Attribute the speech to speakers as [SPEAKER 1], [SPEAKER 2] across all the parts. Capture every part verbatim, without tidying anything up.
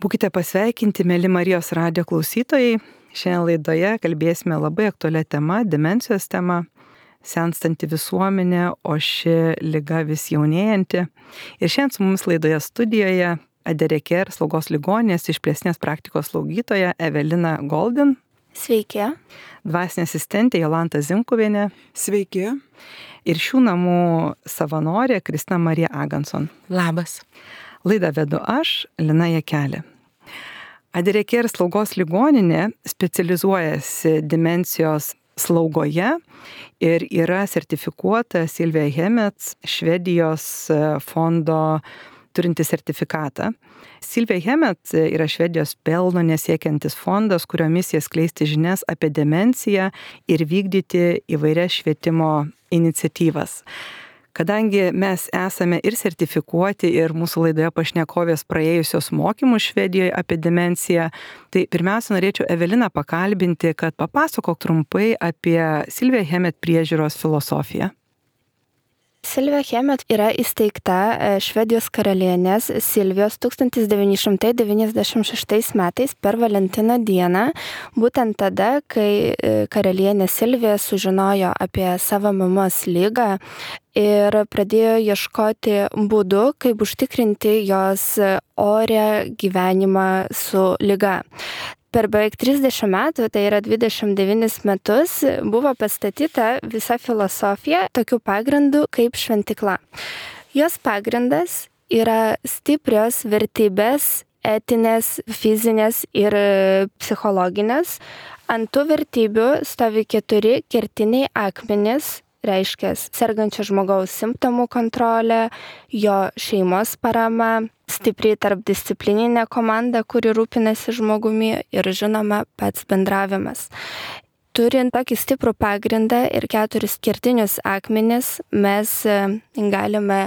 [SPEAKER 1] Būkite pasveikinti, mėly Marijos radijo klausytojai. Šiandien laidoje kalbėsime labai aktualią temą, demencijos tema, senstanti visuomenė, o ši liga vis jaunėjanti. Ir šiandien su mumis laidoje studijoje Adereker slaugos ligoninės išplėstinės praktikos slaugytoja Evelina Goldin.
[SPEAKER 2] Sveiki.
[SPEAKER 1] Dvasinė asistentė Jolanta Zimkuvienė.
[SPEAKER 3] Sveiki.
[SPEAKER 1] Ir šių namų savanorė Kristina Marija Aganson.
[SPEAKER 3] Labas.
[SPEAKER 1] Laidą vedu aš, Lina Jakelė. Adereker slaugos ligoninė specializuojasi demencijos slaugoje ir yra sertifikuota Silvija Hemets Švedijos fondo turinti sertifikatą. Silvija Hemets yra Švedijos pelno nesiekiantis fondas, kurio misija skleisti žinias apie demenciją ir vykdyti įvairias švietimo iniciatyvas. Kadangi mes esame ir sertifikuoti, ir mūsų laidoje pašnekovės praėjusios mokymus Švedijoje apie demenciją, tai pirmiausia norėčiau Eveliną pakalbinti, kad papasakok trumpai apie Silvija Hemet priežiūros filosofiją.
[SPEAKER 2] Silvija Hemet yra įsteigta Švedijos karalienės Silvijos tūkstantis devyni šimtai devyniasdešimt šeštais metais per Valentino dieną, būtent tada, kai karalienė Silvija sužinojo apie savo mamos ligą ir pradėjo ieškoti būdų, kaip užtikrinti jos orią gyvenimą su liga. Per beveik trisdešimt metų, tai yra dvidešimt devynis metus, buvo pastatyta visa filosofija tokiu pagrindu kaip šventykla. Jos pagrindas yra stiprios vertybės, etinės, fizinės ir psichologinės. Ant tų vertybių stovi keturi kertiniai akmenys, reiškia sergančio žmogaus simptomų kontrolė, jo šeimos parama, stipri tarpdisciplininė komanda, kuri rūpinasi žmogumi ir žinoma pats bendravimas. Turint tokį stiprų pagrindą ir keturis kertinius akmenis, mes galime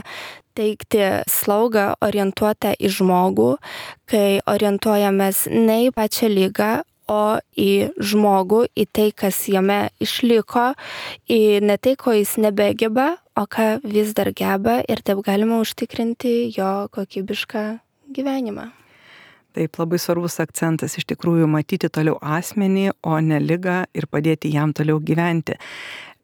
[SPEAKER 2] teikti slaugą orientuotą į žmogų, kai orientuojamės ne į pačią ligą, o į žmogų, į tai, kas jame išliko, į ne tai, ko jis nebegeba, o ką vis dar geba ir taip galima užtikrinti jo kokybišką gyvenimą.
[SPEAKER 1] Taip, labai svarbus akcentas iš tikrųjų matyti toliau asmenį, o ne ligą ir padėti jam toliau gyventi.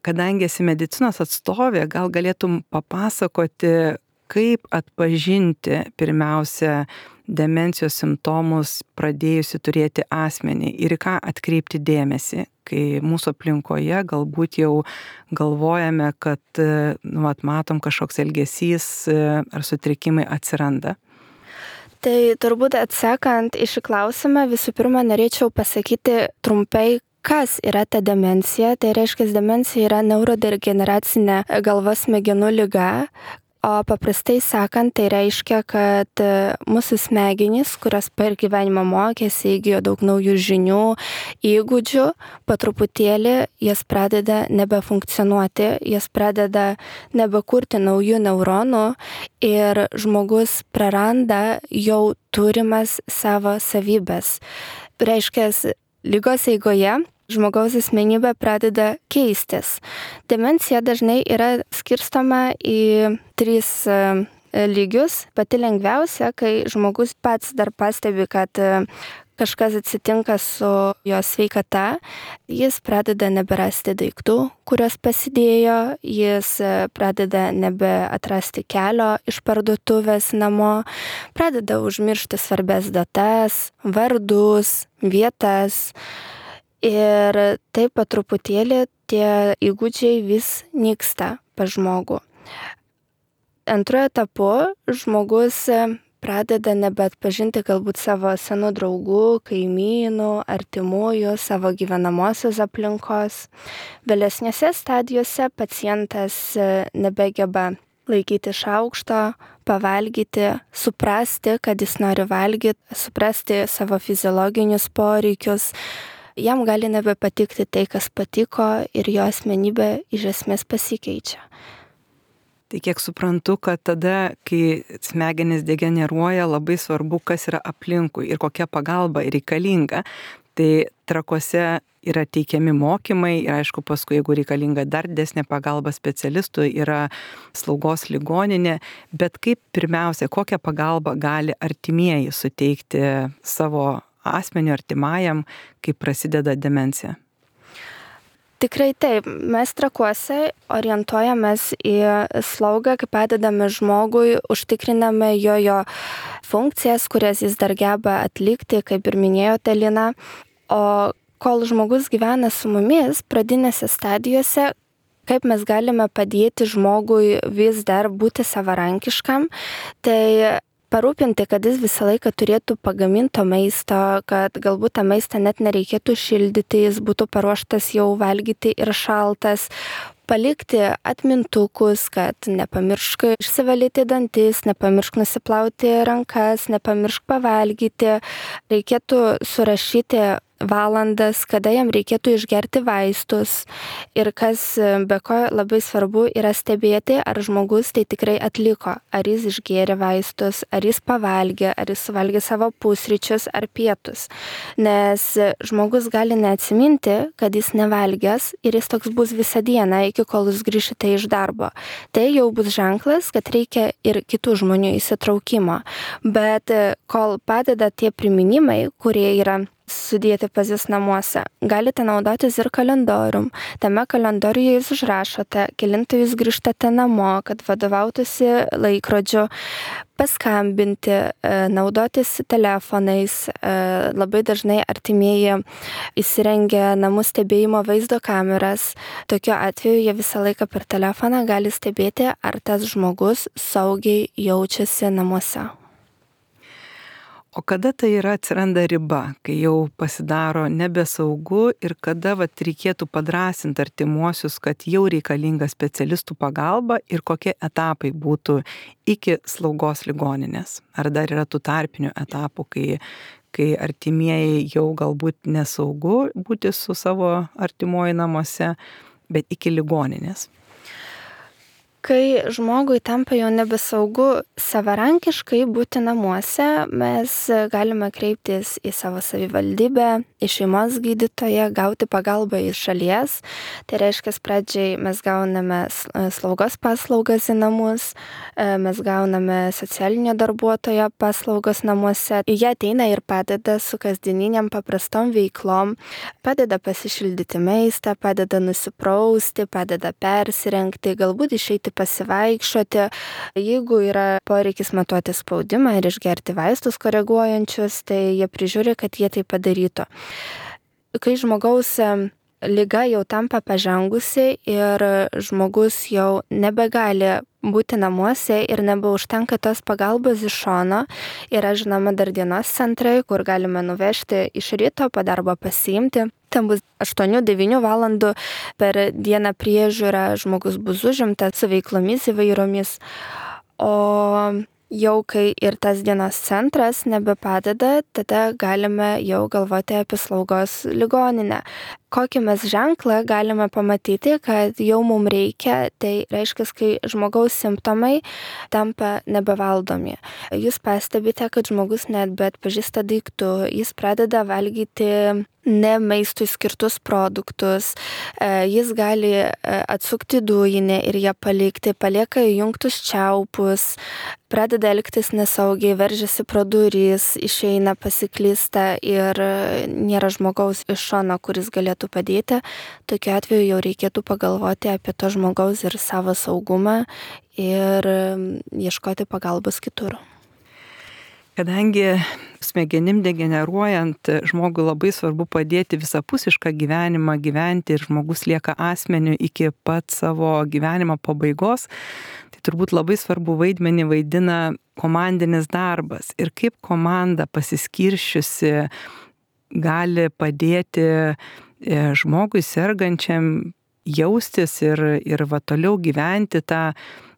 [SPEAKER 1] Kadangi esi medicinos atstovė, gal galėtum papasakoti, kaip atpažinti pirmiausia demencijos simptomus pradėjusi turėti asmenį ir į ką atkreipti dėmesį, kai mūsų aplinkoje galbūt jau galvojame, kad nu, matom kažkoks elgesys ar sutrikimai atsiranda.
[SPEAKER 2] Tai turbūt atsakant į šį klausimą, visų pirma norėčiau pasakyti trumpai, kas yra ta demencija. Tai reiškia, demencija yra neurodegeneracinė galvos smegenų liga. O paprastai sakant, tai reiškia, kad mūsų smegenys, kurios per gyvenimą mokėsi, įgijo daug naujų žinių, įgūdžių, po truputėlį jas pradeda nebefunkcionuoti, jas pradeda nebekurti naujų neuronų ir žmogus praranda jau turimas savo savybės. Reiškia, ligos eigoje žmogaus asmenybė pradeda keistis. Demencija dažnai yra skirstoma į tris lygius. Pati lengviausia, kai žmogus pats dar pastebi, kad kažkas atsitinka su jo sveikata, jis pradeda neberasti daiktų, kurios pasidėjo, jis pradeda nebeatrasti kelio iš parduotuvės namo, pradeda užmiršti svarbias datas, vardus, vietas. Ir taip po truputėlį tie įgūdžiai vis nyksta pas žmogų. Antruoju etapu žmogus pradeda nebeatpažinti galbūt savo senų draugų, kaimynų, artimųjų, savo gyvenamosios aplinkos. Vėlesnėse stadijose pacientas nebegeba laikyti šaukšto, pavalgyti, suprasti, kad jis nori valgyti, suprasti savo fiziologinius poreikius. Jam gali nebepatikti tai, kas patiko ir jo asmenybė iš esmės pasikeičia.
[SPEAKER 1] Tai kiek suprantu, kad tada, kai smegenys degeneruoja, labai svarbu, kas yra aplinkui ir kokia pagalba reikalinga. Tai Trakuose yra teikiami mokymai ir aišku, paskui, jeigu reikalinga dar didesnė pagalba specialistų, yra slaugos ligoninė, bet kaip pirmiausia, kokią pagalbą gali artimieji suteikti savo asmeniu artimajam, kai prasideda demencija?
[SPEAKER 2] Tikrai taip, mes Trakuose orientuojamės į slaugą, kai padedame žmogui, užtikriname jo jo funkcijas, kurias jis dar geba atlikti, kaip ir minėjote, Lina. O kol žmogus gyvena su mumis pradinėse stadijose, kaip mes galime padėti žmogui vis dar būti savarankiškam, tai parūpinti, kad jis visą laiką turėtų pagaminto maisto, kad galbūt tą maistą net nereikėtų šildyti, jis būtų paruoštas jau valgyti ir šaltas. Palikti atmintukus, kad nepamiršk išsivalyti dantis, nepamiršk nusiplauti rankas, nepamiršk pavalgyti. Reikėtų surašyti valandas, kada jam reikėtų išgerti vaistus. Ir kas be ko labai svarbu yra stebėti, ar žmogus tai tikrai atliko, ar jis išgėrė vaistus, ar jis pavalgė, ar jis suvalgė savo pusryčius ar pietus. Nes žmogus gali neatsiminti, kad jis nevalgęs ir jis toks bus visą dieną, iki kol jūs grįšite iš darbo. Tai jau bus ženklas, kad reikia ir kitų žmonių įsitraukimo. Bet kol padeda tie priminimai, kurie yra sudėti pas jūs namuose, galite naudotis ir kalendorium. Tame kalendoriuje jūs užrašote, kelintą jūs grįžtate namo, kad vadovautųsi laikrodžiu, paskambinti, naudotis telefonais. Labai dažnai artimieji įsirengia namų stebėjimo vaizdo kameras. Tokiu atveju jie visą laiką per telefoną gali stebėti, ar tas žmogus saugiai jaučiasi namuose.
[SPEAKER 1] O kada tai yra atsiranda riba, kai jau pasidaro nebesaugu ir kada vat, reikėtų padrąsinti artimuosius, kad jau reikalinga specialistų pagalba ir kokie etapai būtų iki slaugos ligoninės? Ar dar yra tų tarpinių etapų, kai, kai artimieji jau galbūt nesaugu būti su savo artimuoju namuose, bet iki ligoninės?
[SPEAKER 2] Kai žmogui tampa jau nebesaugu savarankiškai būti namuose, mes galime kreiptis į savo savivaldybę, į šeimos gydytoją, gauti pagalbą iš šalies. Tai reiškia, pradžiai mes gauname slaugos paslaugas į namus, mes gauname socialinio darbuotojo paslaugas namuose. Jie ateina ir padeda su kasdieniniam paprastom veiklom, padeda pasišildyti maistą, padeda nusiprausti, padeda persirengti, galbūt išeiti pasivaikščioti. Jeigu yra poreikis matuoti spaudimą ir išgerti vaistus koreguojančius, tai jie prižiūri, kad jie tai padarytų. Kai žmogaus liga jau tampa pažengusi ir žmogus jau nebegali būti namuose ir nebeužtenka tos pagalbos iš šono, yra žinoma dar dienos centrai, kur galime nuvežti iš ryto, po darbo pasiimti. Ten bus aštuonių devynių valandų per dieną priežiūra, žmogus bus užimtas su veiklomis įvairiomis. O jau kai ir tas dienos centras nebepadeda, tada galime jau galvoti apie slaugos ligoninę. Kokį mes ženklą galime pamatyti, kad jau mums reikia, tai reiškia, kai žmogaus simptomai tampa nebevaldomi. Jūs pastebite, kad žmogus net bet pažįsta daiktų, jis pradeda valgyti ne maistui skirtus produktus, jis gali atsukti dujinę ir ją palikti, palieka įjungtus čiaupus, pradeda elgtis nesaugiai, veržiasi pro duris, išeina, pasiklysta ir nėra žmogaus iš šono, kuris galėtų padėti. Tokiu atveju jau reikėtų pagalvoti apie to žmogaus ir savo saugumą ir ieškoti pagalbos kitur.
[SPEAKER 1] Kadangi smegenim degeneruojant žmogui labai svarbu padėti visapusišką gyvenimą gyventi ir žmogus lieka asmeniu iki pat savo gyvenimo pabaigos, tai turbūt labai svarbu vaidmenį vaidina komandinis darbas ir kaip komanda pasiskiršiusi gali padėti žmogui sergančiam jaustis ir, ir va toliau gyventi tą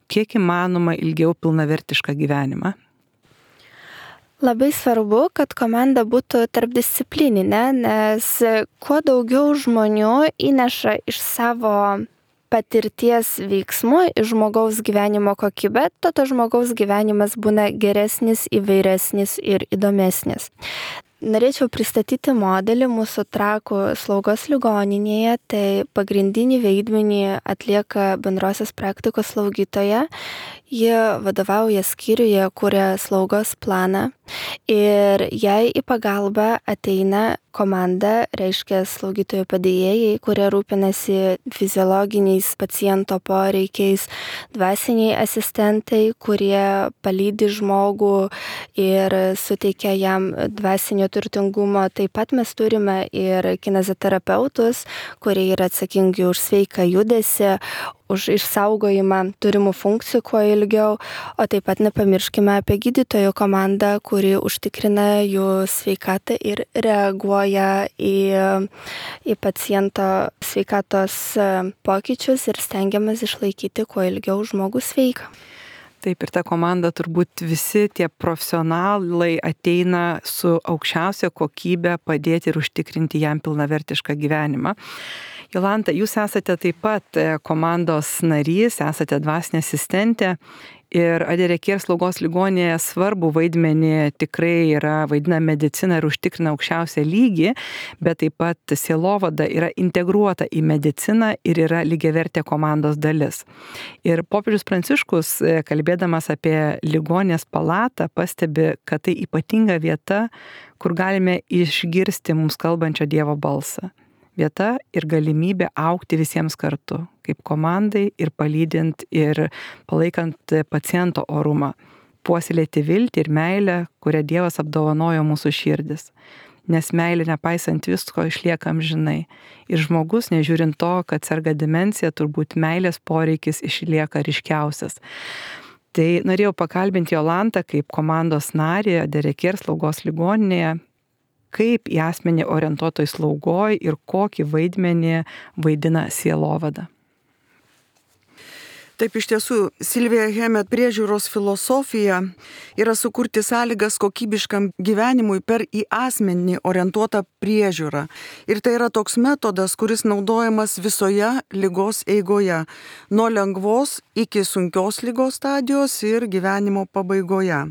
[SPEAKER 1] kiek įmanoma ilgiau pilnavertišką gyvenimą.
[SPEAKER 2] Labai svarbu, kad komanda būtų tarpdisciplininė, nes kuo daugiau žmonių įneša iš savo patirties veiksmų į žmogaus gyvenimo kokybę, to to žmogaus gyvenimas būna geresnis, įvairesnis ir įdomesnis. Norėčiau pristatyti modelį mūsų Trakų slaugos ligoninėje, tai pagrindinį vaidmenį atlieka bendrosios praktikos slaugytoja. Jie vadovauja skyriuje, kuria slaugos planą ir jai į pagalbą ateina komanda, reiškia slaugytojų padėjėjai, kurie rūpinasi fiziologiniais paciento poreikiais, dvasiniai asistentai, kurie palydi žmogų ir suteikia jam dvasinio turtingumo. Taip pat mes turime ir kineziterapeutus, kurie yra atsakingi už sveiką judesį, už išsaugojimą turimų funkcijų kuo ilgiau, o taip pat nepamirškime apie gydytojų komandą, kuri užtikrina jų sveikatą ir reaguoja į, į paciento sveikatos pokyčius ir stengiamės išlaikyti kuo ilgiau žmogų sveiką.
[SPEAKER 1] Taip, ir ta komanda turbūt visi tie profesionalai ateina su aukščiausia kokybė padėti ir užtikrinti jam pilnavertišką gyvenimą. Jolanta, jūs esate taip pat komandos narys, esate dvasinė asistentė ir Adireker slaugos ligoninėje svarbų vaidmenį tikrai yra vaidina medicina ir užtikrina aukščiausią lygį, bet taip pat sielovada yra integruota į mediciną ir yra lygiavertė komandos dalis. Ir popiežius Pranciškus, kalbėdamas apie ligoninės palatą, pastebi, kad tai ypatinga vieta, kur galime išgirsti mums kalbančio Dievo balsą. Vieta ir galimybė augti visiems kartu, kaip komandai ir palydint ir palaikant paciento orumą, puoselėti viltį ir meilę, kurią Dievas apdovanojo mūsų širdis. Nes meilė nepaisant visko išlieka amžinai. Ir žmogus, nežiūrint to, kad serga demencija, turbūt meilės poreikis išlieka ryškiausias. Tai norėjau pakalbinti Jolantą kaip komandos narį Adireker slaugos ligoninėje, kaip į asmenį orientuotoj slaugoj ir kokį vaidmenį vaidina sielovada.
[SPEAKER 3] Taip, iš tiesų, Silvija Hemet priežiūros filosofija yra sukurti sąlygas kokybiškam gyvenimui per į asmenį orientuotą priežiūrą. Ir tai yra toks metodas, kuris naudojamas visoje ligos eigoje, nuo lengvos iki sunkios ligos stadijos ir gyvenimo pabaigoje.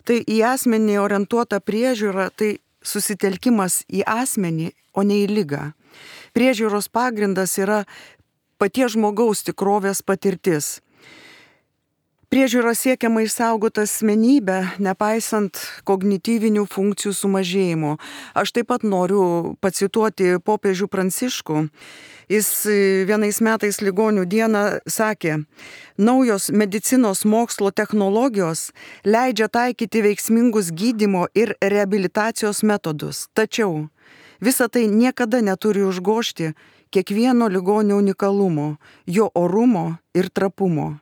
[SPEAKER 3] Tai į asmenį orientuota priežiūra, tai susitelkimas į asmenį, o ne į ligą. Priežiūros pagrindas yra paties žmogaus tikrovės patirtis. Priežiūra siekiama išsaugoti asmenybę, nepaisant kognityvinių funkcijų sumažėjimo. Aš taip pat noriu pacituoti popiežių Pranciškų. Jis vienais metais ligonių dieną sakė, naujos medicinos mokslo technologijos leidžia taikyti veiksmingus gydymo ir reabilitacijos metodus. Tačiau visa tai niekada neturi užgožti kiekvieno ligonio unikalumo, jo orumo ir trapumo.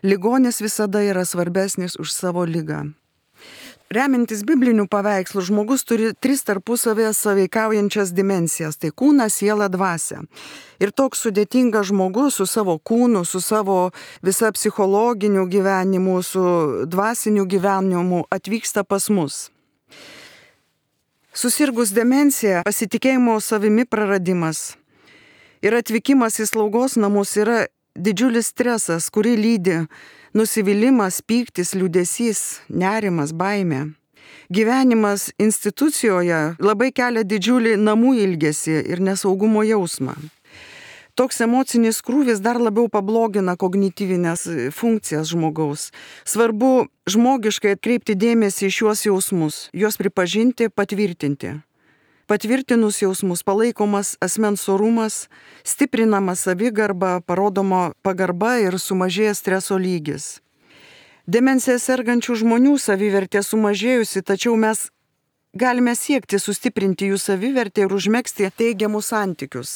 [SPEAKER 3] Ligonis visada yra svarbesnis už savo ligą. Remintis biblinių paveikslų, žmogus turi tris tarpusavėje sąveikaujančias dimensijas - tai kūną, sielą, dvasią. Ir toks sudėtingas žmogus su savo kūnu, su savo visa psichologiniu gyvenimu, su dvasiniu gyvenimu atvyksta pas mus. Susirgus demencija, pasitikėjimo savimi praradimas ir atvykimas į slaugos namus yra didžiulis stresas, kurį lydi nusivylimas, pyktis, liūdesys, nerimas, baimė. Gyvenimas institucijoje labai kelia didžiulį namų ilgesį ir nesaugumo jausmą. Toks emocinis krūvis dar labiau pablogina kognityvinės funkcijas žmogaus. Svarbu žmogiškai atkreipti dėmesį į šiuos jausmus, juos pripažinti, patvirtinti. Patvirtinus jausmus palaikomas asmens orumas, stiprinama savigarba, parodoma pagarba ir sumažėja streso lygis. Demencija sergančių žmonių savivertė sumažėjusi, tačiau mes galime siekti sustiprinti jų savivertę ir užmegzti teigiamus santykius.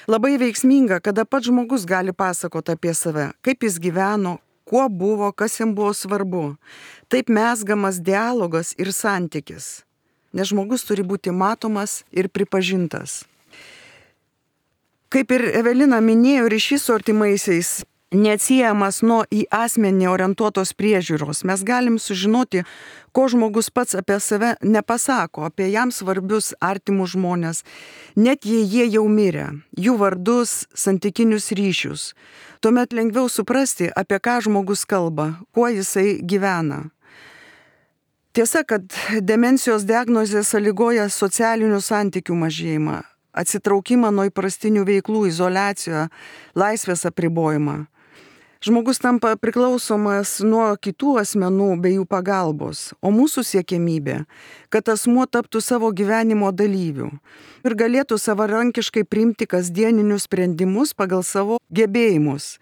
[SPEAKER 3] Labai veiksminga, kada pats žmogus gali pasakoti apie save, kaip jis gyveno, kuo buvo, kas jam buvo svarbu. Taip mezgamas dialogas ir santykis. Nes žmogus turi būti matomas ir pripažintas. Kaip ir Evelina minėjo, ryšys su artimaisiais neatsiejamas nuo į asmenį orientuotos priežiūros. Mes galim sužinoti, ko žmogus pats apie save nepasako, apie jam svarbius artimus žmonės, net jei jie jau mirė, jų vardus, santykinius ryšius. Tuomet lengviau suprasti, apie ką žmogus kalba, kuo jisai gyvena. Tiesa, kad demencijos diagnozė sąlygoja socialinių santykių mažėjimą, atsitraukimą nuo įprastinių veiklų, izoliaciją, laisvės apribojimą. Žmogus tampa priklausomas nuo kitų asmenų bei jų pagalbos, o mūsų siekiamybė, kad asmuo taptų savo gyvenimo dalyvių ir galėtų savarankiškai priimti kasdieninius sprendimus pagal savo gebėjimus.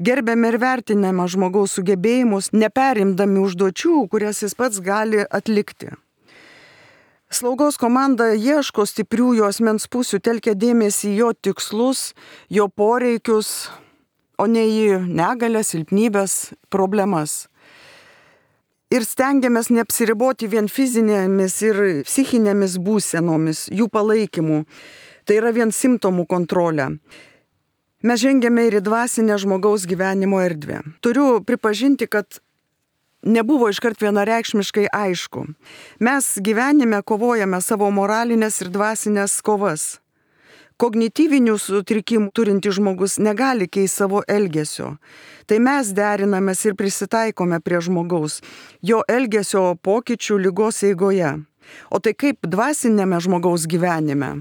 [SPEAKER 3] Gerbėme ir vertiname žmogaus sugebėjimus, neperimdami užduočių, kurias jis pats gali atlikti. Slaugos komanda ieško stiprių jo asmens pusių, telkia dėmesį į jo tikslus, jo poreikius, o ne į negalę, silpnybės, problemas. Ir stengiamės neapsiriboti vien fizinėmis ir psichinėmis būsenomis, jų palaikymu. Tai yra vien simptomų kontrolė. Mes žengiame ir į dvasinę žmogaus gyvenimo erdvę. Turiu pripažinti, kad nebuvo iškart vienareikšmiškai aišku. Mes gyvenime kovojame savo moralinės ir dvasinės kovas. Kognityvinių sutrikimų turinti žmogus negali keisti savo elgesio. Tai mes derinamės ir prisitaikome prie žmogaus, jo elgesio pokyčių ligos eigoje. O tai kaip dvasinėme žmogaus gyvenime?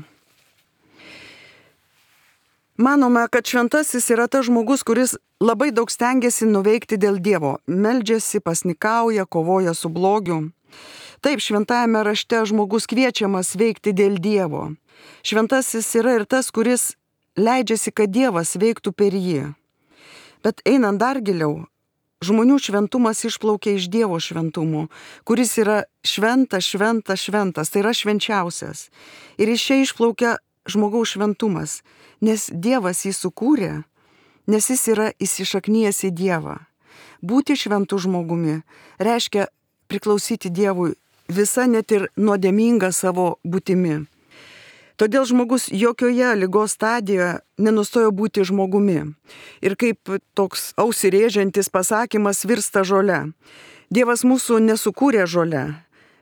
[SPEAKER 3] Manome, kad šventasis yra tas žmogus, kuris labai daug stengiasi nuveikti dėl Dievo. Meldžiasi, pasnikauja, kovoja su blogiu. Taip, šventajame rašte žmogus kviečiamas veikti dėl Dievo. Šventasis yra ir tas, kuris leidžiasi, kad Dievas veiktų per jį. Bet einant dar giliau, žmonių šventumas išplaukia iš Dievo šventumo, kuris yra šventas, šventas, šventas, tai yra švenčiausias. Ir iš čia išplaukia žmogaus šventumas, nes Dievas jį sukūrė, nes jis yra įsišaknijęs į Dievą. Būti šventų žmogumi reiškia priklausyti Dievui visa net ir nuodėminga savo būtimi. Todėl žmogus jokioje ligos stadijoje nenustojo būti žmogumi. Ir kaip toks ausirėžiantis pasakymas virsta žole. Dievas mūsų nesukūrė žole.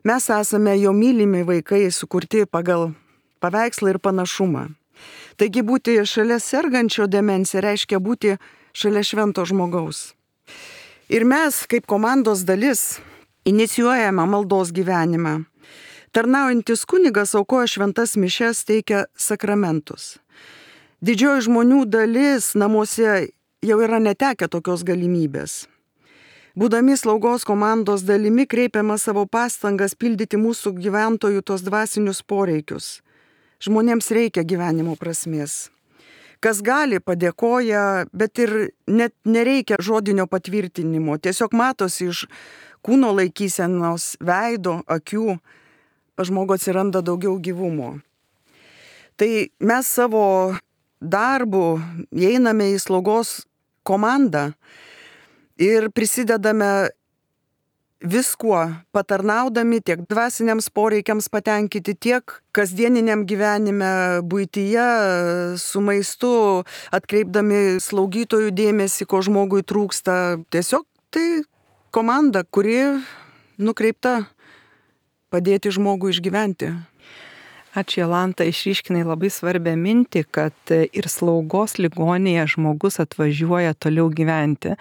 [SPEAKER 3] Mes esame jo mylimi vaikai, sukurti pagal paveikslą ir panašumą. Taigi būti šalia sergančio demencija reiškia būti šalia švento žmogaus. Ir mes, kaip komandos dalis, inicijuojame maldos gyvenimą. Tarnaujantis kunigas aukoja šventas mišias, teikia sakramentus. Didžioji žmonių dalis namuose jau yra netekę tokios galimybės. Būdami slaugos komandos dalimi kreipiame savo pastangas pildyti mūsų gyventojų tos dvasinius poreikius. Žmonėms reikia gyvenimo prasmės. Kas gali, padėkoja, bet ir net nereikia žodinio patvirtinimo. Tiesiog matosi iš kūno laikysenos, veido, akių, pas žmogų atsiranda daugiau gyvumo. Tai mes savo darbu įeiname į slaugos komandą ir prisidedame viskuo, patarnaudami tiek dvasiniams poreikiams patenkinti, tiek kasdieniniam gyvenime, buityje, su maistu, atkreipdami slaugytojų dėmesį, ko žmogui trūksta. Tiesiog tai komanda, kuri nukreipta padėti žmogui išgyventi.
[SPEAKER 1] Ačiū, Jolanta, išryškinai labai svarbią mintį, kad ir slaugos ligoninėje žmogus atvažiuoja toliau gyventi.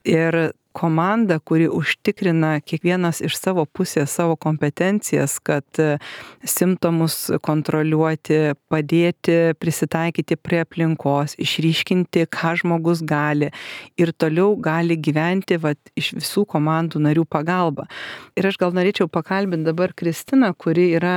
[SPEAKER 1] Ir komanda, kuri užtikrina kiekvienas iš savo pusės savo kompetencijas, kad simptomus kontroliuoti, padėti, prisitaikyti prie aplinkos, išryškinti, ką žmogus gali ir toliau gali gyventi vat, iš visų komandų narių pagalba. Ir aš gal norėčiau pakalbinti dabar Kristiną, kuri yra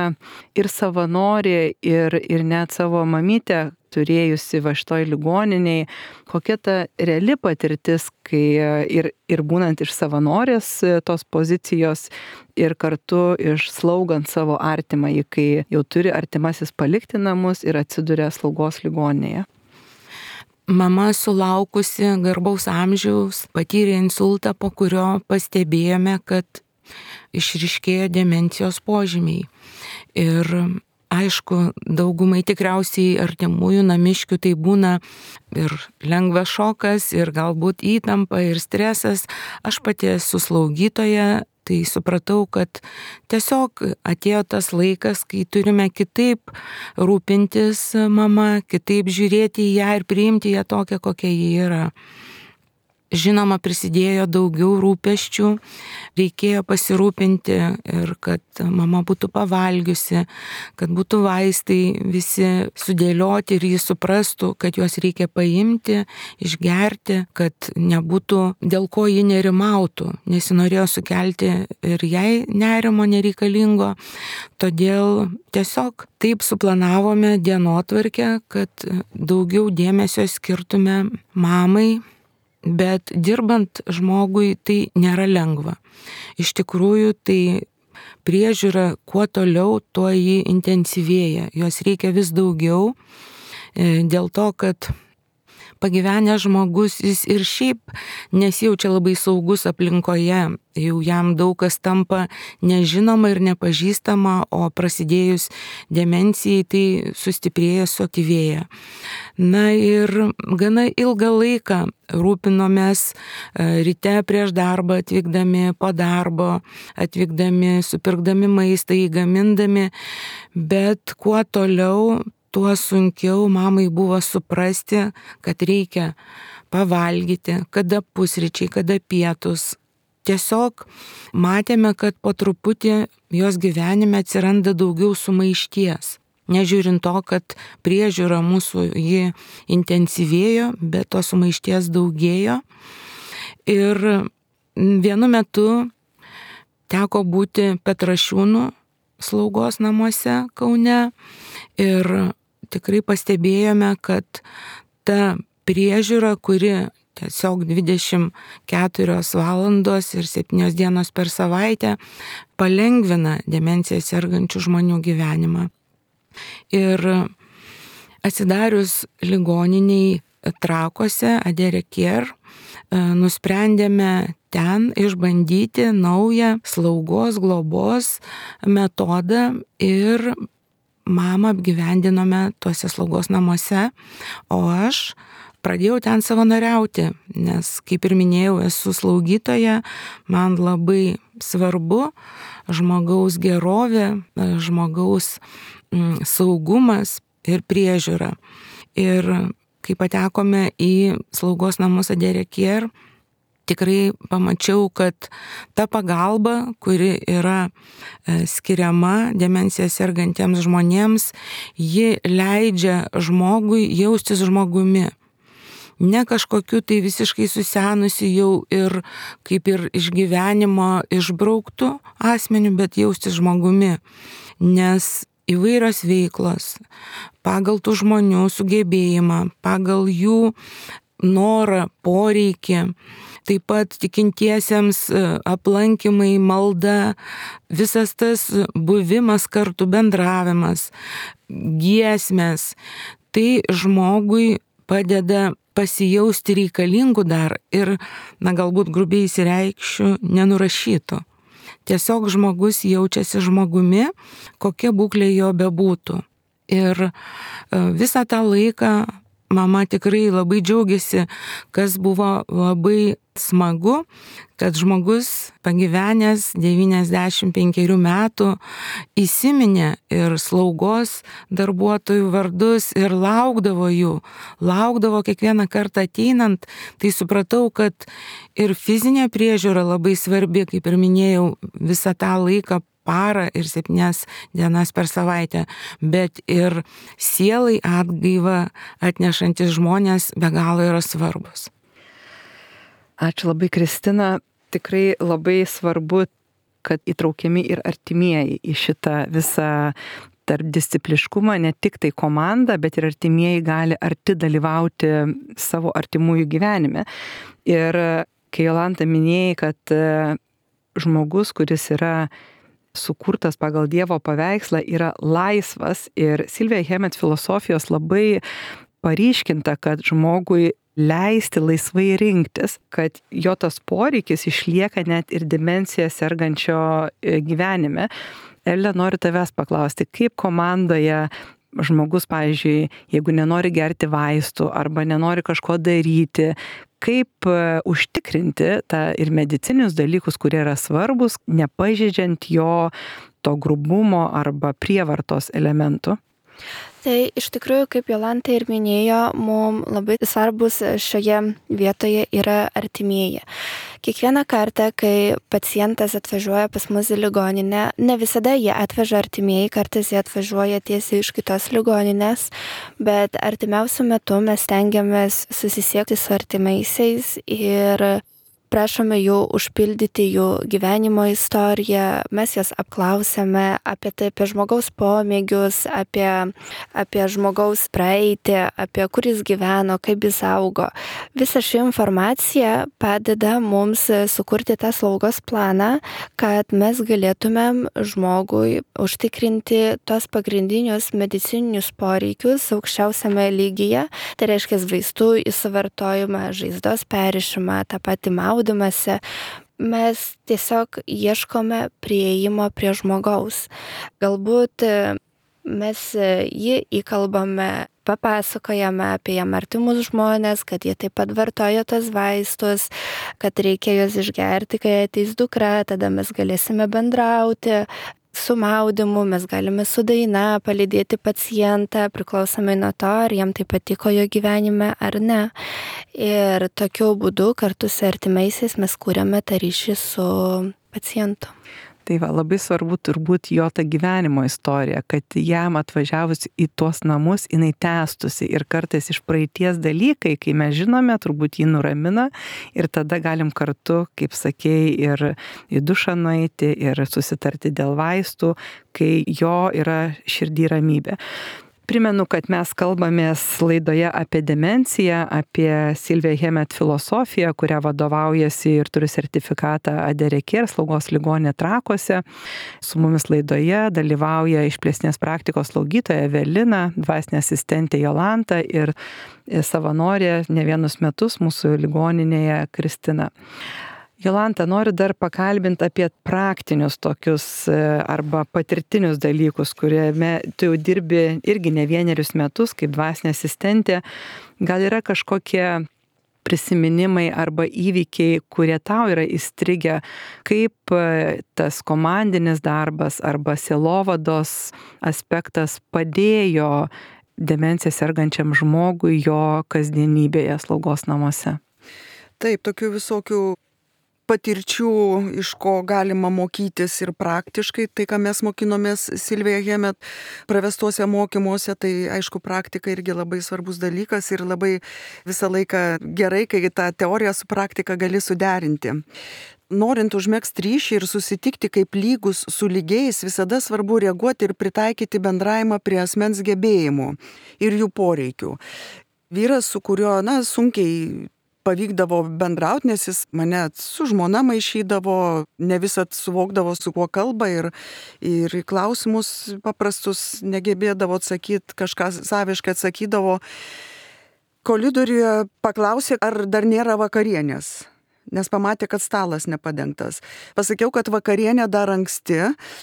[SPEAKER 1] ir savanorė, ir, ir net savo mamytę turėjusi va šitoj ligoniniai, kokia ta reali patirtis, kai ir, ir būnant iš savanorės tos pozicijos ir kartu išslaugant savo artimąjį, kai jau turi artimasis palikti namus ir atsiduria slaugos ligoninėje.
[SPEAKER 4] Mama sulaukusi garbaus amžiaus patyrė insultą, po kurio pastebėjome, kad išryškėjo demencijos požymiai. Ir aišku, daugumai tikriausiai artimųjų namiškių tai būna ir lengvas šokas, ir galbūt įtampa, ir stresas. Aš pati esu slaugytoja, tai supratau, kad tiesiog atėjo tas laikas, kai turime kitaip rūpintis mama, kitaip žiūrėti į ją ir priimti ją tokią, kokia ji yra. žinoma, prisidėjo daugiau rūpesčių, reikėjo pasirūpinti ir kad mama būtų pavalgiusi, kad būtų vaistai visi sudėlioti ir jis suprastų, kad juos reikia paimti, išgerti, kad nebūtų dėl ko ji nerimautų, nes ji norėjo sukelti ir jai nerimo nereikalingo. Todėl tiesiog taip suplanavome dienotvarkę, kad daugiau dėmesio skirtume mamai. Bet dirbant žmogui tai nėra lengva. Iš tikrųjų, tai priežiūra kuo toliau, tuo ji intensyvėja. Jos reikia vis daugiau, dėl to, kad pagyvenęs žmogus jis ir šiaip nesijaučia labai saugus aplinkoje. Jau jam daug kas tampa nežinoma ir nepažįstama, o prasidėjus demencijai tai sustiprėja, suaktyvėja. Na ir gana ilgą laiką rūpinomės ryte prieš darbą, atvykdami po darbo, atvykdami, supirkdami maistą, įgamindami, bet kuo toliau, tuo sunkiau mamai buvo suprasti, kad reikia pavalgyti, kada pusryčiai, kada pietus. Tiesiog matėme, kad po truputį jos gyvenime atsiranda daugiau sumaišties. Nežiūrint to, kad priežiūra mūsų ji intensyvėjo, bet to sumaišties daugėjo. Ir vienu metu teko būti Petrašiūnų slaugos namuose Kaune ir tikrai pastebėjome, kad ta priežiūra, kuri tiesiog dvidešimt keturios valandos ir septynios dienos per savaitę palengvina demenciją sergančių žmonių gyvenimą. Ir atsidarius ligoniniai Trakuose, Adere-Care, nusprendėme ten išbandyti naują slaugos, globos metodą ir mamą apgyvendinome tuose slaugos namuose, o aš pradėjau ten savanoriauti, nes, kaip ir minėjau, esu slaugytoja, man labai svarbu žmogaus gerovė, žmogaus saugumas ir priežiūra. Ir kai patekome į slaugos namus Adere-Care, tikrai pamačiau, kad ta pagalba, kuri yra skiriama demenciją sergantiems žmonėms, ji leidžia žmogui jaustis žmogumi. Ne kažkokiu tai visiškai susenusi jau ir kaip ir iš gyvenimo išbrauktų asmenių, bet jaustis žmogumi. Nes įvairios veiklos pagal tų žmonių sugebėjimą, pagal jų norą, poreikį, taip pat tikintiesiems aplankymai, malda, visas tas buvimas kartu, bendravimas, giesmės, tai žmogui padeda pasijausti reikalingų dar ir, na galbūt grubiai įsireikšiu, nenurašytų. Tiesiog žmogus jaučiasi žmogumi, kokia būklė jo bebūtų. Ir visą tą laiką mama tikrai labai džiaugiasi, kas buvo labai smagu, kad žmogus pagyvenęs devyniasdešimt penkerių metų įsiminė ir slaugos darbuotojų vardus ir laukdavo jų, laukdavo kiekvieną kartą ateinant, tai supratau, kad ir fizinė priežiūra labai svarbi, kaip ir minėjau, visą tą laiką parą ir septynias dienas per savaitę, bet ir sielai atgaivą atnešantis žmonės be galo yra svarbus.
[SPEAKER 1] Ačiū labai, Kristina. Tikrai labai svarbu, kad įtraukiami ir artimieji į šitą visą tarpdiscipliškumą, ne tik tai komanda, bet ir artimieji gali arti dalyvauti savo artimųjų gyvenime. Ir kai Jolanta minėjai, kad žmogus, kuris yra sukurtas pagal Dievo paveikslą, yra laisvas, ir Silvija Hemet filosofijos labai paryškinta, kad žmogui leisti laisvai rinktis, kad jo tas poreikis išlieka net ir demenciją sergančio gyvenime. Elė, noriu tavęs paklausti, kaip komandoje žmogus, pavyzdžiui, jeigu nenori gerti vaistų arba nenori kažko daryti, kaip užtikrinti tą ir medicinius dalykus, kurie yra svarbus, nepažeidžiant jo to grubumo arba prievartos elementų?
[SPEAKER 2] Tai iš tikrųjų, kaip Jolanta ir minėjo, mums labai svarbus šioje vietoje yra artimieji. Kiekvieną kartą, kai pacientas atvažiuoja pas mus į ligoninę, ne visada jie atveža artimieji, kartais jie atvažiuoja tiesiai iš kitos ligoninės, bet artimiausiu metu mes stengiamės susisiekti su artimaisiais ir prašome jų užpildyti jų gyvenimo istoriją, mes jas apklausėme apie tai, apie žmogaus pomėgius, apie, apie žmogaus praeitį, apie kur jis gyveno, kaip jis augo. Visa ši informacija padeda mums sukurti tą slaugos planą, kad mes galėtumėm žmogui užtikrinti tos pagrindinius medicininius poreikius aukščiausiame lygyje, tai reiškia vaistų įsivartojimą, žaizdos perrišimą, tą patį maudymą. Mes tiesiog ieškome prieimo prie žmogaus. Galbūt mes jį įkalbame, papasakojame apie jam artimus žmonės, kad jie taip pat vartoja tos vaistus, kad reikia juos išgerti, kai ateis dukra, tada mes galėsime bendrauti. Su maudymu mes galime su daina palydėti pacientą, priklausomai nuo to, ar jam tai patiko jo gyvenime ar ne. Ir tokiu būdu kartu su artimaisiais mes kūrėme tą ryšį su pacientu.
[SPEAKER 1] Tai va, labai svarbu turbūt jo ta gyvenimo istorija, kad jam atvažiavus į tuos namus jinai tęstusi ir kartais iš praeities dalykai, kai mes žinome, turbūt jį nuramina ir tada galim kartu, kaip sakei, ir į dušą nueiti ir susitarti dėl vaistų, kai jo yra širdį ramybė. Primenu, kad mes kalbamės laidoje apie demenciją, apie Silvija Hemet filosofiją, kurią vadovaujasi ir turi sertifikatą Adereker slaugos ligoninė Trakuose. Su mumis laidoje dalyvauja išplėstinės praktikos slaugytoja Evelina, dvasinė asistentė Jolanta ir savanorė ne vienus metus mūsų ligoninėje Kristina. Jolanta, noriu dar pakalbinti apie praktinius tokius arba patirtinius dalykus, kuriame tu jau dirbi irgi ne vienerius metus kaip dvasinė asistentė. Gal yra kažkokie prisiminimai arba įvykiai, kurie tau yra įstrigę, kaip tas komandinis darbas arba sielovados aspektas padėjo demenciją sergančiam žmogui jo kasdienybėje slaugos namuose?
[SPEAKER 3] Taip, tokių visokių patirčių, iš ko galima mokytis ir praktiškai, tai ką mes mokinomės Silvija Hemet pravestuose mokymuose, tai aišku praktika irgi labai svarbus dalykas ir labai visą laiką gerai, kai tą teoriją su praktika gali suderinti. Norint užmegzti ryšį ir susitikti kaip lygus su lygiais, visada svarbu reaguoti ir pritaikyti bendravimą prie asmens gebėjimų ir jų poreikių. Vyras, su kuriuo, na, sunkiai pavykdavo bendrauti, nes jis mane su žmona maišydavo, ne visat suvokdavo, su kuo kalba ir, ir klausimus paprastus negebėdavo atsakyti, kažką saviškai atsakydavo. Koridoriuje paklausė, ar dar nėra vakarienės, nes pamatė, kad stalas nepadengtas. Pasakiau, kad vakarienė dar anksti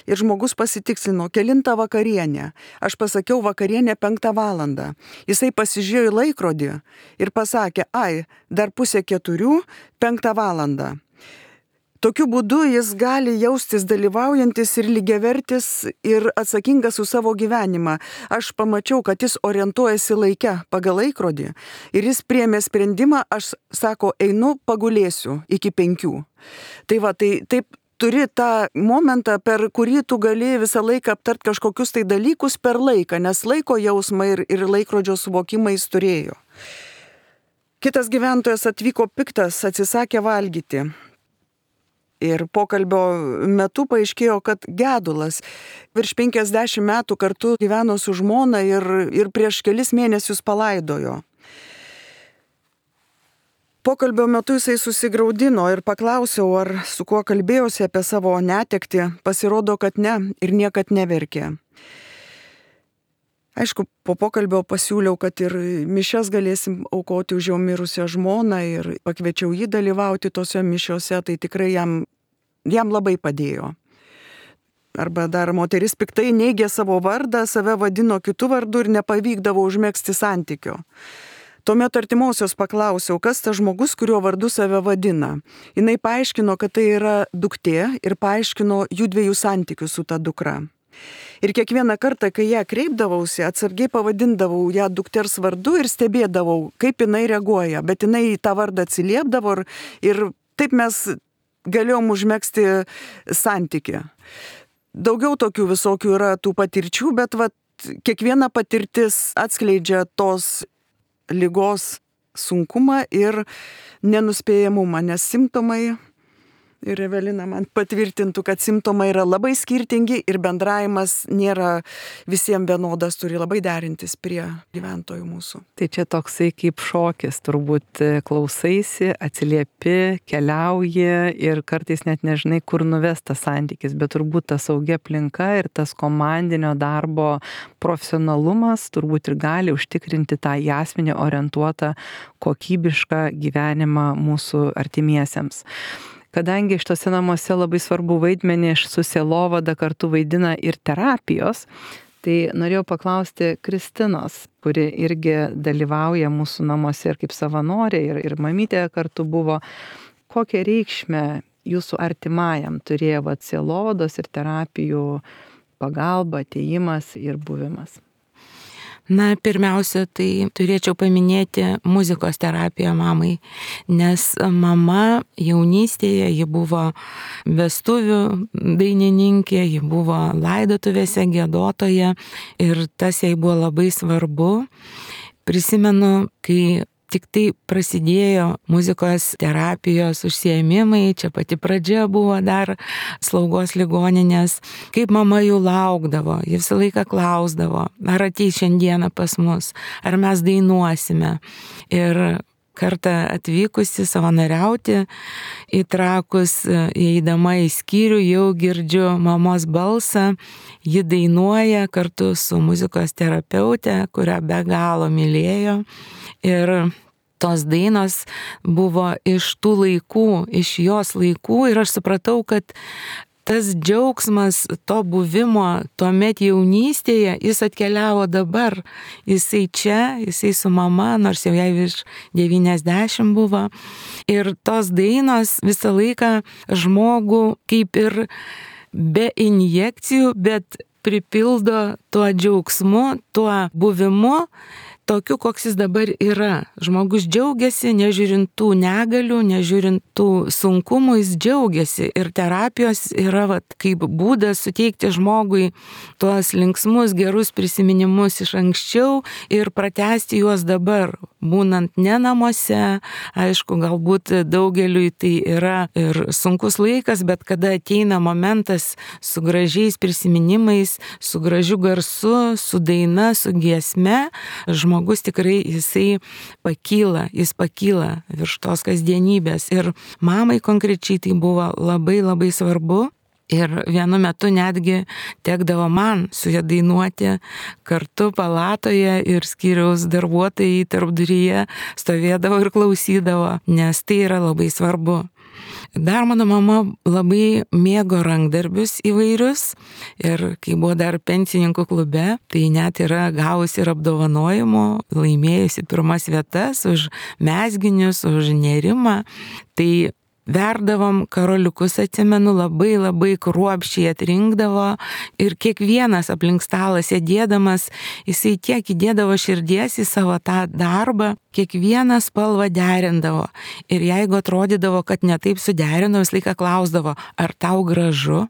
[SPEAKER 3] ir žmogus pasitikslino, kelintą vakarienę. Aš pasakiau vakarienė penktą valandą. Jisai pasižiūrėjo į laikrodį ir pasakė, ai, dar pusė keturių, penktą valandą. Tokiu būdu jis gali jaustis dalyvaujantis ir lygiavertis ir atsakingas už savo gyvenimą. Aš pamačiau, kad jis orientuojasi laike pagal laikrodį ir jis priėmė sprendimą, aš, sako, einu pagulėsiu iki penkių. Tai va, tai taip turi tą momentą, per kurį tu gali visą laiką aptart kažkokius tai dalykus per laiką, nes laiko jausmą ir, ir laikrodžio suvokimą jis turėjo. Kitas gyventojas atvyko piktas, atsisakė valgyti. Ir pokalbio metu paaiškėjo, kad gedulas virš penkiasdešimt metų kartu gyveno su žmona ir, ir prieš kelis mėnesius palaidojo. Pokalbio metu jisai susigraudino ir paklausiau, ar su kuo kalbėjosi apie savo netektį. Pasirodo, kad ne ir niekad neverkė. Aišku, po pokalbio pasiūliau, kad ir mišias galėsim aukoti už jau mirusią žmoną ir pakviečiau jį dalyvauti tose mišiose, tai tikrai jam, jam labai padėjo. Arba dar moteris piktai neigė savo vardą, save vadino kitu vardu ir nepavykdavo užmegzti santykio. Tuomet artimosios paklausiau, kas tas žmogus, kurio vardu save vadina. Jinai paaiškino, kad tai yra duktė ir paaiškino jų dviejų santykius su ta dukra. Ir kiekvieną kartą, kai ją kreipdavausi, atsargiai pavadindavau ją dukters vardu ir stebėdavau, kaip jinai reaguoja. Bet jinai į tą vardą atsiliepdavo ir, ir taip mes galėjom užmegzti santykį. Daugiau tokių visokių yra tų patirčių, bet vat, kiekviena patirtis atskleidžia tos ligos sunkumą ir nenuspėjamumą, nes simptomai, ir Evelina man patvirtintų, kad simptomai yra labai skirtingi ir bendravimas nėra visiems vienodas, turi labai derintis prie gyventojų mūsų.
[SPEAKER 1] Tai čia toksai kaip šokis, turbūt klausaisi, atsiliepi, keliauji ir kartais net nežinai, kur nuves tas santykis, bet turbūt ta saugi aplinka ir tas komandinio darbo profesionalumas turbūt ir gali užtikrinti tą į asmenį orientuotą kokybišką gyvenimą mūsų artimiesiems. Kadangi šitose namuose labai svarbu vaidmenį su sielovada kartu vaidina ir terapijos, tai norėjau paklausti Kristinos, kuri irgi dalyvauja mūsų namuose ir kaip savanorė, ir, ir mamytė kartu buvo, kokią reikšmę jūsų artimajam turėjo vat, sielovados ir terapijų pagalba, atėjimas ir buvimas.
[SPEAKER 4] Na, pirmiausia, tai turėčiau paminėti muzikos terapiją mamai, nes mama jaunystėje, ji buvo vestuvių dainininkė, ji buvo laidotuvėse giedotoja ir tas jai buvo labai svarbu. Prisimenu, kai tik tai prasidėjo muzikos terapijos užsiėmimai, čia pati pradžia buvo dar slaugos ligoninės, kaip mama jų laukdavo, ji visą laiką klausdavo, ar ateis šiandieną pas mus, ar mes dainuosime. Ir kartą atvykusi savanoriauti į Trakus, įeidama į skyrių, jau girdžiu mamos balsą, ji dainuoja kartu su muzikos terapeute, kurią be galo mylėjo. Ir tos dainos buvo iš tų laikų, iš jos laikų ir aš supratau, kad tas džiaugsmas to buvimo tuomet jaunystėje, jis atkeliavo dabar. Jisai čia, jisai su mama, nors jau jai virš devyniasdešimt buvo. Ir tos dainos visą laiką žmogų kaip ir be injekcijų, bet pripildo tuo džiaugsmu, tuo buvimu, tokiu, koks jis dabar yra. Žmogus džiaugiasi, nežiūrint tų negalių, nežiūrint tų sunkumų, jis džiaugiasi. Ir terapijos yra vat, kaip būdas suteikti žmogui tuos linksmus, gerus prisiminimus iš anksčiau ir pratęsti juos dabar, būnant ne namuose. Aišku, galbūt daugeliui tai yra ir sunkus laikas, bet kada ateina momentas su gražiais prisiminimais, su gražiu garsu, su daina, su giesme, žmogus Žmogus tikrai jisai pakyla, jis pakyla virš tos kasdienybės. Ir mamai konkrečiai tai buvo labai labai svarbu. Ir vienu metu netgi tekdavo man su ja dainuoti kartu palatoje ir skyriaus darbuotojai tarpduryje stovėdavo ir klausydavo, nes tai yra labai svarbu. Dar mano mama labai mėgo rankdarbius įvairius ir kai buvo dar pensininkų klube, tai net yra gavusi ir apdovanojimų, laimėjusi pirmas vietas už mezginius, už nerimą. Tai verdavom karoliukus, atsimenu, labai labai kruopščiai atrinkdavo ir kiekvienas aplink stalą sėdėdamas, jisai tiek įdėdavo širdies į savo tą darbą, kiekvieną spalvą derindavo. Ir jeigu atrodydavo, kad netaip suderino, visą laiką klausdavo, ar tau gražu?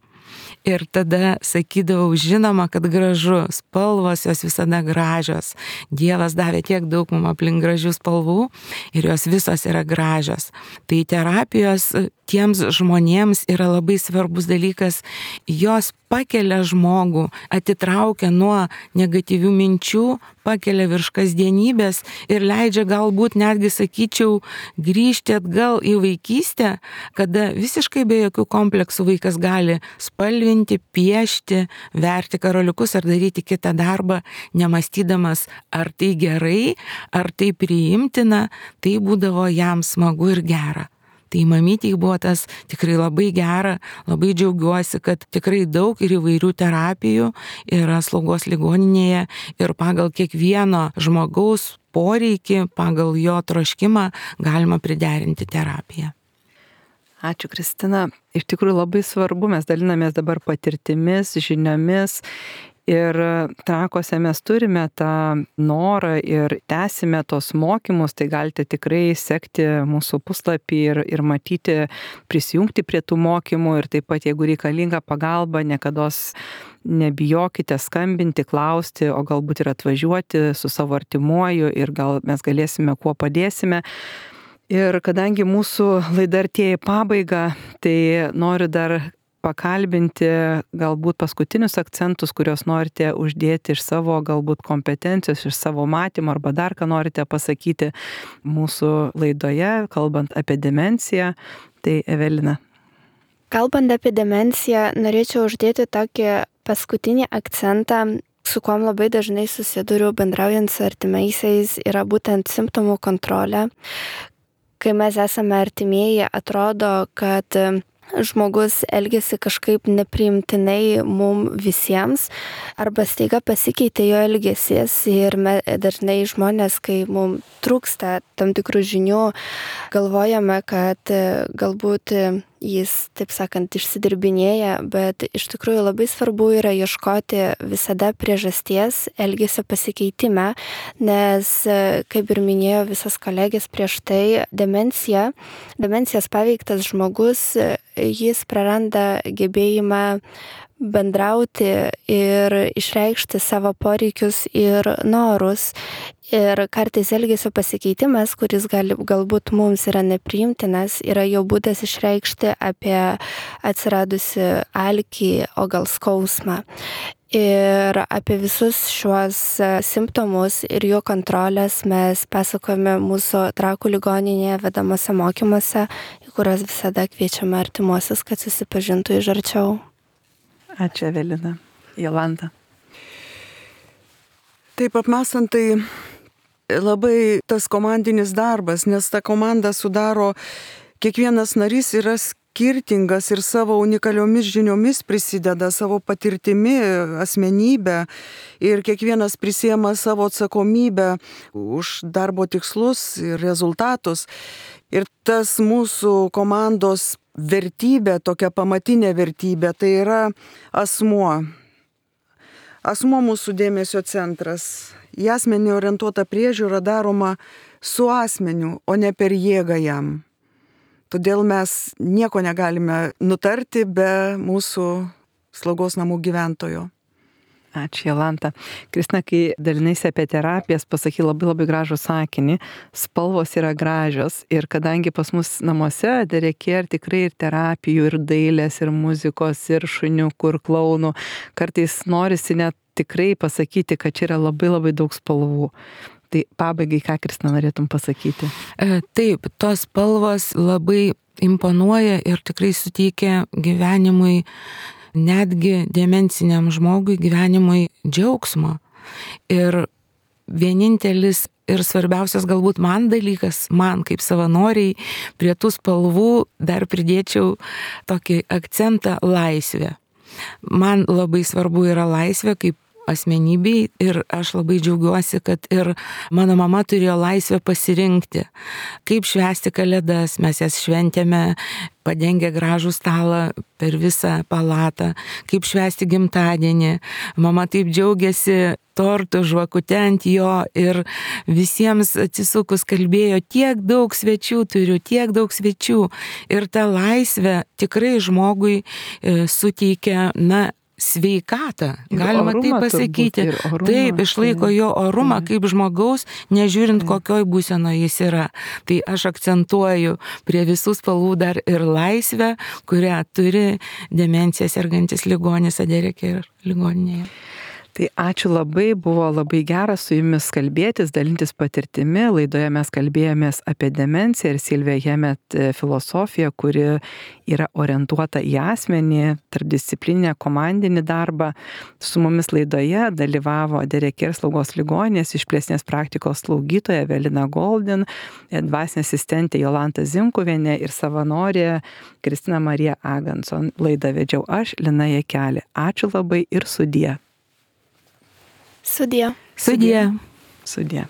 [SPEAKER 4] Ir tada sakydavau, žinoma, kad gražu, spalvos jos visada gražios. Dievas davė tiek daug mums aplink gražių spalvų ir jos visos yra gražios. Tai terapijos tiems žmonėms yra labai svarbus dalykas, jos pakelia žmogų, atitraukia nuo negatyvių minčių, pakelia virš kasdienybės ir leidžia galbūt netgi, sakyčiau, grįžti atgal į vaikystę, kada visiškai be jokių kompleksų vaikas gali spalvinti, piešti, verti karoliukus ar daryti kitą darbą, nemąstydamas, ar tai gerai, ar tai priimtina, tai būdavo jam smagu ir gera. Tai mamytei buvo tas tikrai labai gera, labai džiaugiuosi, kad tikrai daug ir įvairių terapijų yra slaugos ligoninėje ir pagal kiekvieno žmogaus poreikį, pagal jo troškimą galima priderinti terapiją.
[SPEAKER 1] Ačiū, Kristina. Iš tikrųjų labai svarbu, mes dalinamės dabar patirtimis, žiniomis ir Trakuose mes turime tą norą ir tęsime tos mokymus, tai galite tikrai sekti mūsų puslapį ir, ir matyti, prisijungti prie tų mokymų ir taip pat, jeigu reikalinga pagalba, niekados nebijokite skambinti, klausti, o galbūt ir atvažiuoti su savo artimuoju ir gal mes galėsime, kuo padėsime. Ir kadangi mūsų laida artėja į pabaigą, tai noriu dar pakalbinti galbūt paskutinius akcentus, kuriuos norite uždėti iš savo galbūt kompetencijos, iš savo matymo arba dar ką norite pasakyti mūsų laidoje, kalbant apie demenciją. Tai Evelina.
[SPEAKER 2] Kalbant apie demenciją, norėčiau uždėti tokį paskutinį akcentą, su kuom labai dažnai susiduriu bendraujant su artimaisiais, yra būtent simptomų kontrolė. Kai mes esame artimieji, atrodo, kad žmogus elgesi kažkaip nepriimtinai mum visiems, arba staiga pasikeitė jo elgesys ir me, dažnai žmonės, kai mum trūksta tam tikrų žinių, galvojame, kad galbūt jis, taip sakant, išsidirbinėja, bet iš tikrųjų labai svarbu yra ieškoti visada priežasties elgesio pasikeitime, nes, kaip ir minėjo visas kolegės prieš tai, demencija, demencijos paveiktas žmogus, jis praranda gebėjimą bendrauti ir išreikšti savo poreikius ir norus. Ir kartais elgesio pasikeitimas, kuris gali, galbūt mums yra nepriimtinas, yra jo būdas išreikšti apie atsiradusi alkį, o gal skausmą. Ir apie visus šiuos simptomus ir jų kontrolės mes pasakojame mūsų Trakų ligoninėje vedamose mokymuose, į kuriuos visada kviečiame artimuosius, kad susipažintų iš arčiau.
[SPEAKER 1] Ačiū, Evelina. Jolanta.
[SPEAKER 3] Taip apmąstant, tai labai tas komandinis darbas, nes ta komanda sudaro, kiekvienas narys yra skirtingas ir savo unikaliomis žiniomis prisideda, savo patirtimi, asmenybę ir kiekvienas prisiema savo atsakomybę už darbo tikslus ir rezultatus. Ir tas mūsų komandos vertybė, tokia pamatinė vertybė, tai yra asmuo. Asmuo mūsų dėmesio centras. Į asmenį orientuota priežiūra daroma su asmeniu, o ne per jėgą jam. Todėl mes nieko negalime nutarti be mūsų slaugos namų gyventojo.
[SPEAKER 1] Ačiū, Jolanta. Kristina, kai dalinaisi apie terapijas, pasakai labai labai gražų sakinį. Spalvos yra gražios ir kadangi pas mus namuose reikia ir tikrai ir terapijų, ir dailės, ir muzikos, ir šuniukų, ir klaunų, kartais norisi net tikrai pasakyti, kad čia yra labai labai daug spalvų. Tai pabaigai, ką, Kristina, norėtum pasakyti?
[SPEAKER 4] Taip, tos spalvos labai imponuoja ir tikrai suteikia gyvenimui, netgi demenciniam žmogui gyvenimui džiaugsmo. Ir vienintelis ir svarbiausias galbūt man dalykas, man kaip savanoriai, prie tų spalvų dar pridėčiau tokį akcentą laisvę. Man labai svarbu yra laisvė kaip asmenybei ir aš labai džiaugiuosi, kad ir mano mama turėjo laisvę pasirinkti, kaip švęsti kalėdas. Mes jas šventėme padengę gražų stalą per visą palatą, kaip švęsti gimtadienį. Mama taip džiaugiasi tortu, žvakute ant jo ir visiems atsisukus kalbėjo, tiek daug svečių turiu, tiek daug svečių. Ir ta laisvė tikrai žmogui e, suteikia, na, sveikatą, galima taip pasakyti.
[SPEAKER 1] Orumą,
[SPEAKER 4] taip, išlaiko jo orumą kaip žmogaus, nežiūrint kokioj būsenoje jis yra. Tai aš akcentuoju prie visų spalvų dar ir laisvę, kurią turi demenciją sergantis ligonis Aderekė ligoninėje.
[SPEAKER 1] Tai ačiū labai, buvo labai gera su jumis kalbėtis, dalintis patirtimi. Laidoje mes kalbėjomės apie demenciją ir Silvija Hemet filosofiją, kuri yra orientuota į asmenį, tarpdisciplininę komandinį darbą. Su mumis laidoje dalyvavo Aderekė slaugos ligoninės išplėstinės praktikos slaugytoja Evelina Goldin, dvasinė asistentė Jolanta Zimkuvienė ir savanorė Kristina Marija Aganson. Laidą vedžiau aš, Lina Jakelė. Ačiū labai ir sudie.
[SPEAKER 2] Sudie.
[SPEAKER 4] Sudie.
[SPEAKER 1] Sudie.